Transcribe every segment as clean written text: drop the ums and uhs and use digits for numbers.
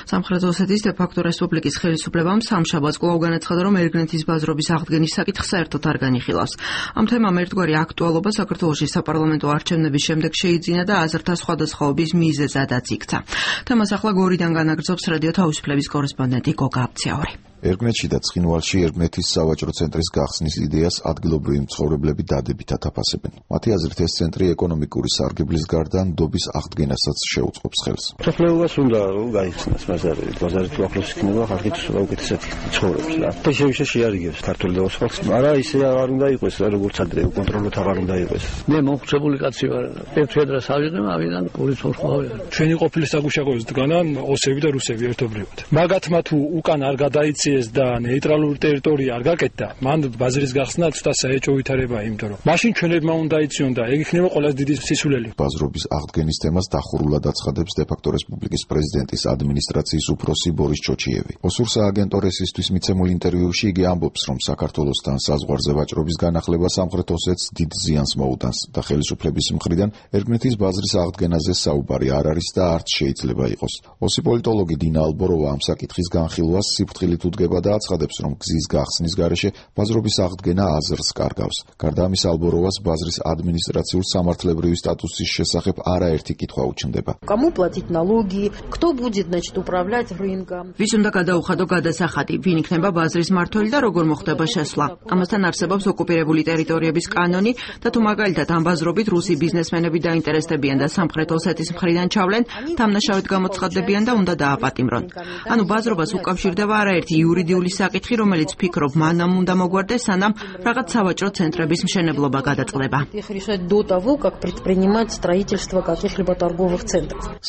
სამხრეთ ოსეთის დე-ფაქტო რესპუბლიკის ხელისუფლებამ სამშაბათს კვლავ განაცხადა, რომ ერგნეთის ბაზრობის აღდგენის საკითხი საერთოდ არ განიხილავს. ამ თემამ ერთგვარი აქტუალობა საქართველოში საპარლამენტო არჩევნების შემდეგ შეიძინა და აზრთა სხვადასხვაობის მიზეზადაც იქცა. თემას ახლა გორიდან განაგრძობს რადიო თავისუფლების კორესპონდენტი გოგა აბციაური. ერგნეთში და ცხინვალში ერგნეთის სავაჭრო ცენტრის გახსნის იდეას ადგილობრივი მცხოვრებლები დადებითად აფასებენ. მათი აზრით ეს ცენტრი ეკონომიკური სარგებლის გარდა ნდობის აღდგენასაც შეუწყობს ხელს. მსოფლმეობას უნდა გაიხსნას ბაზარი თუ ახლოს იქნება ხალხით უკეთესად ცხოვრობს რა. შეშე შეარიგებს ქართული და ოსხალს. არა ისე არ უნდა იყოს რა როგორც ადრე კონტროლოთ აღარ უნდა იყოს. მე მომხმარებელი კაცი ვარ. ერთ დრო ავიღე ავიდან პოლის მომხმარებელი. ჩვენი ყოფილი საგუშაგოების დგანან ოსები და რუსები ერთობლივად. მაგათმა თუ უკან არ გადაიცი და ნეიტრალური ტერიტორია არ გაკეთდა, მან ბაზრის გახსნა ცოტა საეჭვო ვითარებაა, იმიტომ რომ მაშინ ჩვენებმა უნდა იციონ და ეგ იქნება ყველაზე დიდი სისულელი. ბაზრობის აღდგენის თემას დახურულად აცხადებს დე-ფაქტო რესპუბლიკის პრეზიდენტის ადმინისტრაციის უფროსი ბორის ჩოჩიევი. ოსურ სააგენტო რესისთვის მიცემულ ინტერვიუში იგი ამბობს, რომ საქართველოსთან საზღვარზე ვაჭრობის განახლება სამხრეთ ოსეთს დიდ ზიანს მოუტანს და ხელისუფლების მხრიდან ერგნეთის ბაზრის აღდგენაზე საუბარი არ არის და არც შეიძლება იყოს. ოსი პოლიტოლოგი დინა ალბოროვა ამ საკითხის განხილვას სიფრთხილით უდგება და აცხადებს, რომ გზის გახსნის გარეშე ბაზრობის აღდგენა აზრს კარგავს. გარდა ამისა, ალბოროვას ბაზრის ადმინისტრაციულ სამართლებრივი სტატუსის შესახებ არაერთი კითხვა უჩნდება. Кому платить налоги, кто будет, значит, управлять рынком? ვის უნდა გადაუხადო გადასახადი, ვინ იქნება ბაზრის მმართველი და როგორ მოხდება შესვლა? ამასთან არსებობს ოკუპირებული ტერიტორიების კანონი და თუ მაგალითად ამ ბაზრობით რუსი ბიზნესმენები დაინტერესდებიან და სამხრეთ ოსეთის მხრიდან ჩავლენ, დამნაშავედ გამოცხადდებიან და უნდა დააპატიმრონ. ანუ ბაზრობას უკავშირდება არაერთი იურიდიული საკითხი, რომელიც ფიქრობ მანამ უნდა მოგვარდეს, სანამ რაღაც სავაჭრო ცენტრების მშენებლობა გადაწყდება.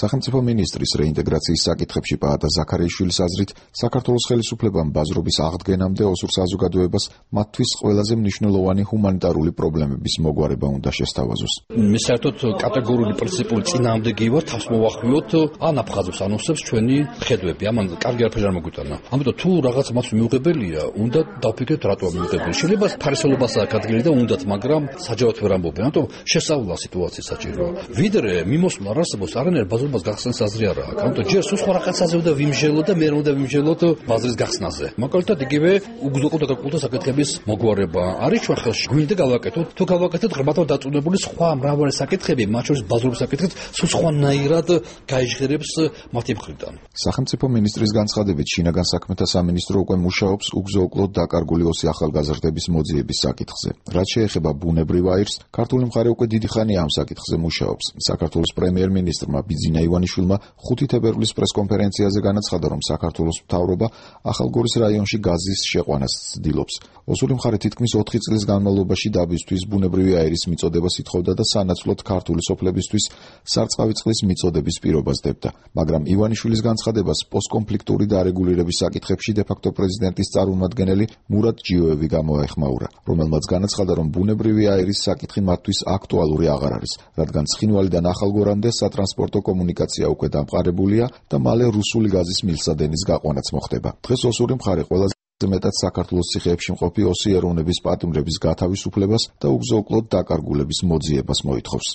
სახელმწიფო მინისტრის რეინტეგრაციის საკითხებში პაატა ზაქარიაშვილის აზრით, საქართველოს ხელისუფლებამ ბაზრობის აღდგენამდე ოსურ საზოგადოებას მათთვის ყველაზე მნიშვნელოვანი ჰუმანიტარული პრობლემების მოგვარება უნდა შესთავაზოს. მე საერთოდ კატეგორიული პრინციპული წინააღმდეგი ვარ, თავს მოვახვიოთ ან აფხაზებს ანონსებს ჩვენი ხედვები. ამან კარგი არაფერი არ მოგვიტანა. ამიტომ თუ რაღაც მას მიუღებელია, უნდა დავფიქრეთ რატომ მიუღებელი. შეიძლება ფარისოლობას აღადგინოთ და უნდათ, მაგრამ საჯაროდ ვერ ამბობენ. ამიტომ შესწავლა სიტუაცია საჭიროა. ვიდრე მიმოსვლა არ არსებობს, არანაირ ბაზრობას გახსნის აზრი არ აქვს. ამიტომ ჯერ სულ სხვა რაღაცაზე უნდა ვიმჟელოთ და მე უნდა ვიმჟელოთ ბაზრის გახსნაზე. მაგალითად იგივე უგზო და კულტურის საკითხების მოგვარება არის ჩვენ ხელში. გვინდა გავაკეთოთ, თუ გავაკეთოთ ღრმათა დაწუნებული სხვა მრავალი საკითხები, მათ შორის ბაზრობის საკითხიც სულ სხვანაირად გაიჟღერებს მათი მხრიდან. სახელმწიფო მინისტრის განცხადებით, შინაგან საქმეთა სამინისტრო უკვე მუშაობს უგზო-უკლოდ დაკარგული ოსი ახალგაზრდების მოძიების საკითხზე. რაც შეეხება ბუნებრივ აირს, ქართული მხარე უკვე დიდი ხანია ამ საკითხზე მუშაობს. საქართველოს პრემიერ-მინისტრმა ბიძინა ივანიშვილმა 5 თებერვლის პრესკონფერენციაზე განაცხადა, რომ საქართველოს მთავრობა ახალგორის რაიონში გაზის შეყვანას ცდილობს. ოსური მხარე თითქმის 4 წლის განმავლობაში დაბისთვის ბუნებრივი აირის მიწოდებას ითხოვდა და სანაცვლოდ ქართული სოფლებისთვის სარწყავი წყლის მიწოდების პირობას დებდა. მაგრამ ივანიშვილის განცხადებას პოსტკონფლიქტური დარეგულირების საკითხებში დე-ფაქტო პრეზიდენტის წარმომადგენელი მურატ ჯიოევი გამოეხმაურა, რომელმაც განაცხადა, რომ ბუნებრივი აირის საკითხი მათთვის აქტუალური აღარ არის, რადგან ცხინვალიდან ახალგორამდე სატრანსპორტო კომუნიკაცია უკვე დამყარებულია და მალე რუსული გაზის მილსადენის გაყვანაც მოხდება. დღეს ოსური მხარე ყველაზე მეტად საქართველოს ციხეებში მყოფი ოსი ეროვნების პატიმრების გათავისუფლებას და უგზო-უკლოდ დაკარგულების მოძიებას მოითხოვს.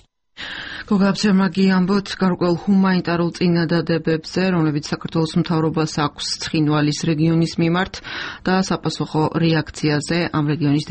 გოგაბცემაგი ამბობთ გარკვეულ ჰუმანიტარულ წინადადებებზე, რომლებიც საქართველოს მთავრობას აქვს ცხინვალის რეგიონის მიმართ და საპასუხო რეაქციაზე ამ რეგიონის